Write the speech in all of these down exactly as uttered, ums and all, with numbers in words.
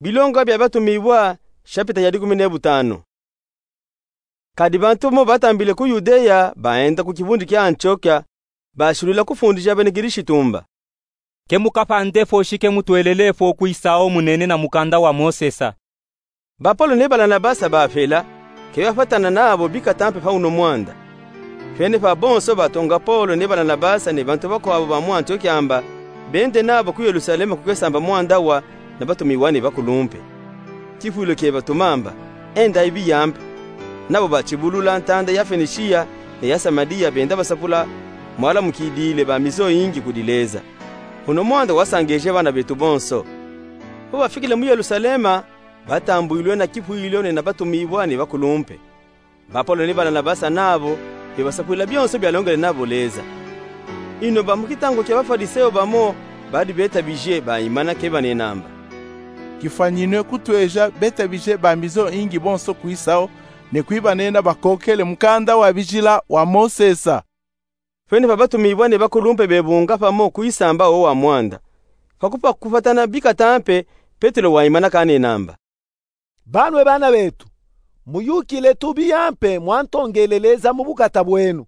Bilonga bia Batumiwa, shapita ya dikumi ne butanu. Kadi bantu mo batambile ku Yudeya baenda ku kivundi kia Antiokia, bashilwila kufundisha bena Kirisitu mba: Ke mukapande foshi, ke mutwelele fo kwisawo munene na mukanda wa Mosesa. Ba Polo ne Balanabasa bafela, ke bafwatana nabo bikata mpe pa uno mwanda. Fene pa bonso batonga Polo ne Balanabasa ne bantu bakwawu ba mu Antiokia mba bende nabo ku Yelusalema ku kesamba mwanda wa na Batumiwa ne Bakulumpe. Kifwilo ke batuma mba: Endayi biya mpe. Nabo batibulula ntanda ya Fenishiya ne ya Samaliya, benda basapula mwalamukidile ba mizo yingi kudi Leza. Uno mwanda wasangeje bana betu bonso. Bo bafikile mu Yelusalema, batambwilwe na kifwilo ne na Batumiwa ne Bakulumpe. Ba Polo ne Balanabasa nabo bebasapwila bionso bialongele nabo Leza. Ino ba mu kitangu kia Bafwarisewo bamo badi betabije, baimana ke banena mba: Kifwanyinwe kutweja betabije ba mizo yingi bonso kwisawo, ne kwibanena bakokele mukanda wa bijila wa Mosesa. Fene pa Batumiwa ne Bakulumpe bebunga pamo kwisamba wo wa mwanda. Pa kupa kufwatana bikata mpe, Petelo waimana kanena mba: Banwe bana betu, muyukile tu biya mpe mwantongele Leza mu bukata bwenu.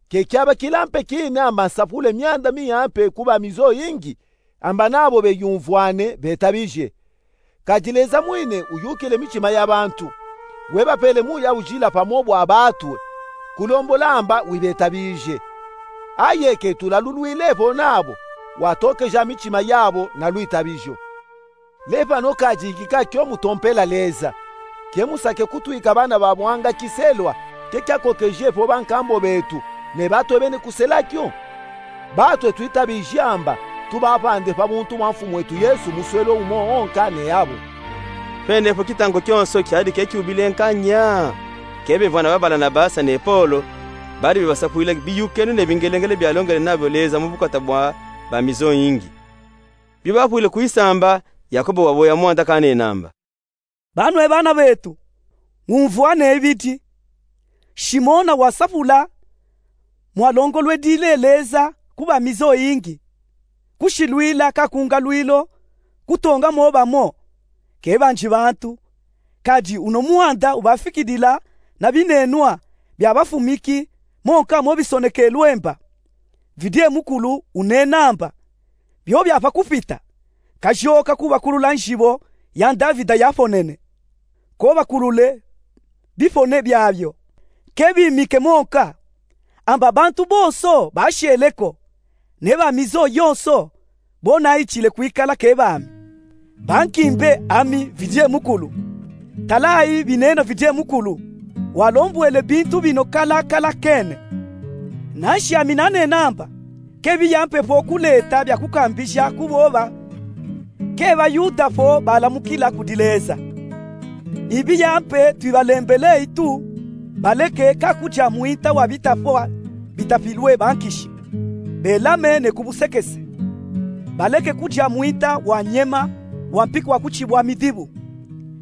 Ke kiabakila mpe kina amba nsapule mianda miya mpe ku ba mizo yingi, amba nabo beyumvwane, betabije. Kadi Leza mwine uyukile mitima ya bantu, webapele Muya Ujila pamo bwa batwe, kulombola amba wibetabije. Aye ke tulalulwile vo nabo, watokeja mitima yabo na lwitabijo. Lepano kadi kika kio mutompela Leza. Ke musake kutwika bana ba mwanga kiselwa ke kiakokeje vo bankambo betu, ne batwe bene kusela kio. Batwe twitabije amba tubapande pa buntu bwa Mfumu wetu Yesu muswelo umo onka ne yabo. Fene vo kitangu kionso kiadi ke kiubile nkanya, ke bevwana ba Balanabasa ne Polo badi bebasapwila biyukenu ne bingelengele bialongele nabo Leza mu bukata bwa ba mizo yingi. Bio bafwile kwisamba, Yakobo waboya mwanda kanena mba: Banwe bana betu, ngumvwane ibidi. Shimona wasapula mwalongolwedile Leza ku ba mizo yingi, kushilwila kakungalwilo kutonga mo bamo ke banji bantu, kadi uno mwanda ubafikidila na binenwa bia bafumiki monka mo bisonekelwe mba: Vidie Mukulu unena amba: Bio bia pa kupita, kajoka kubakulula njibo ya Ndavida yafonene. Kobakulule bifone biabio, ke bimike monka, amba bantu bonso bashele ko, ne ba mizo yonso bo naitile kwikala ke bami. Bankimbe ami Vidie Mukulu. Talayi binena Vidie Mukulu, walombwele bintu bino kalakala kene. Nanshi ami nanena amba ke biya mpe vo kuleta bia kukambija ku boba ke ba Yuda vo balamukila kudi Leza. Ibiya mpe twibalembeleyi tu, baleke kakudia mwinta wa bitafwa bitafilwe bankishi, belame ne ku busekese. Baleke kudia mwinta wa nyema wa mpiki wa kutibwa midibu,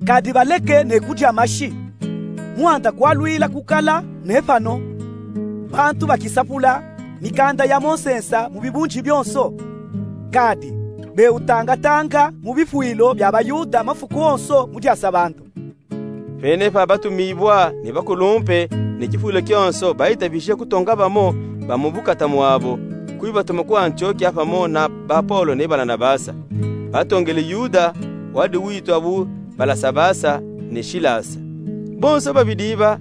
kadi baleke ne kudia mashi. Mwanda kwalwila kukala ne pano bantu bakisapula mikanda ya Mosesa mu bibunji bionso, kadi bewutangatanga mu bifwilo bia ba Yuda mafuku onso mu dia sabandu. Pene pa batumibwa ne bakulumpe ne kifwilo kionso bayitabije kutonga bamo ba mu bukata mwabo, kwibatuma ku Antiokia pamo na ba Polo ne Balanabasa. Batongele Yuda, wadi witwa bu Balasabasa ne Silasa. Bonso babidi ba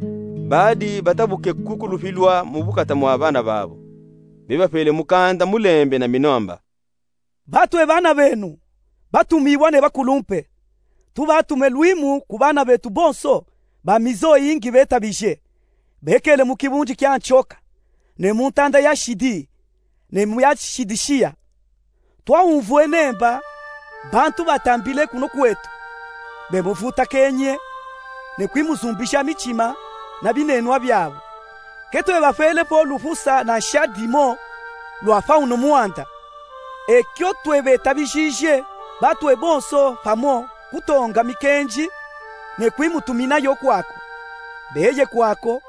badi batabuke ku kulupilwa mu bukata mwa bana babo. Bebapele mukanda mulembe na mino amba: Batwe bana benu, batumibwa ne bakulumpe, tubatume lwimu ku bana betu bonso ba mizo yingi betabije, bekele mu kibunji kia Antiokia, ne mu ntanda ya Sidi, ne mu ya Sidisiya. Twaumvwene mba bantu batambile kuno kwetu, bemuvutakenye, ne kwimuzumbija mitima na binenwa byabo. Ke twebapele po lufusa na nsha dimo lwa pa uno mwanda. Ekyo twebetabijije batwe bonso pamo kutonga mikenji ne kwimutuminayo kwako. Beye kwako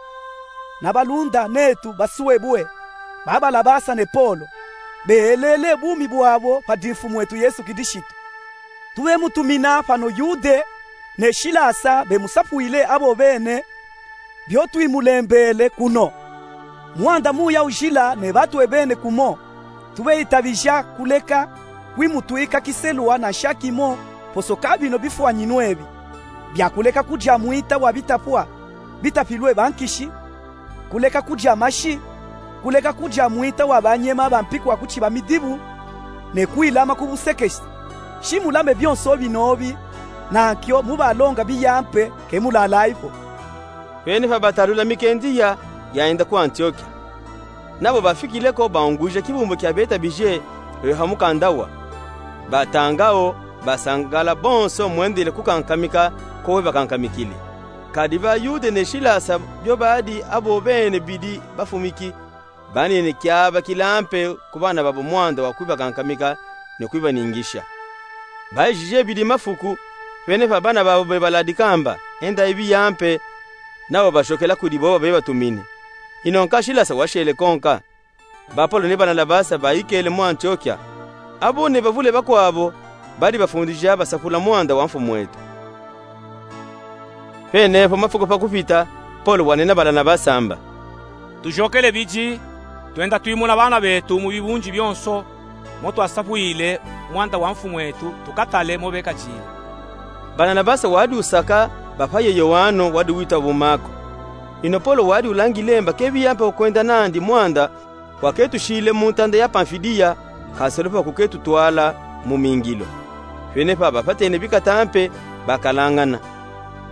na balunda netu basuebwe, ba Balabasa ne Polo, beelele bumi bwabo padi Mfumu wetu Yesu Kilisitu. Tubemutumina pano Yude ne Silasa bemusapuile abo bene bio twimulembele kuno. Mwanda muya ujila ne batwebene kumo, tubeyitabija kuleka kwimutwika kiselwa na nshakimo posoka bino bifwanyinu ebi bia kuleka kudia mwita wa bitapwa bitapilwe bankishi, kuleka kudia mashi, kuleka kudia mwita wa banyema bampikwa kuciba midibu, ne kwilama ku busekesi. Shimulame bionso binobi, nankio mubalonga biyampe ke mulalayi ko. Pene pa batalula mikendiya yaenda ku Antiokia. Nabo bafikile ko baungwija kibumbu kia betabije bebe ha mukanda wa. Batanga wo, basangala bonso mwendele kukankamika ko webakankamikile. Kadi ba Yude ne Silasa bio badi abo bene bidi bafumiki, banene kiaba kilampe ku bana babo mwanda wa kwibakankamika ne kwibaningisha. Bayijije bidi mafuku, pene pa bana babo bebaladika mba, endayi biyampe, nabo bashokela kudi bobo bebatumine. Ino nka Silasa washele konka. Ba Polo ne Banabasa bayikele mu Antiokia. Abo ne bavule bakwabo badi bafundija basakula mwanda wa Mfumu etu. Pene po mafuku pa kupita, Polo wanena Banabasa mba: Tujokele bidi, twenda twimuna bana betu mu bibunji bionso mo twasapwile mwanda wa Mfumu etu, tukatale mo bekadile. Banabasa wadi usaka bapaye Yowano wadi witwa bu Mako. Ino Polo wadi ulangile mba ke biyampe kwenda nandi mwanda, waketushile mu ntanda ya Pamfilia, kaselo pa kuketutwala mu mingilo. Pene pa bapatene bikata mpe bakalangana.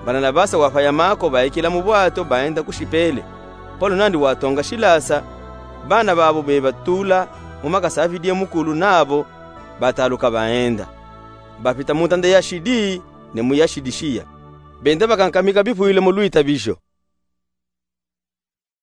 Banabasa wapaya Mako baikila mu bwato baenda ku Sipele. Polo nandi watonga Silasa, bana babo bebatula mu makasa a Vidiye Mukulu nabo bataluka baenda. Bapita mu ntanda ya Sidi ne mu ya Sidisiya. Benda bakankamika bipwile mu lwitabijo.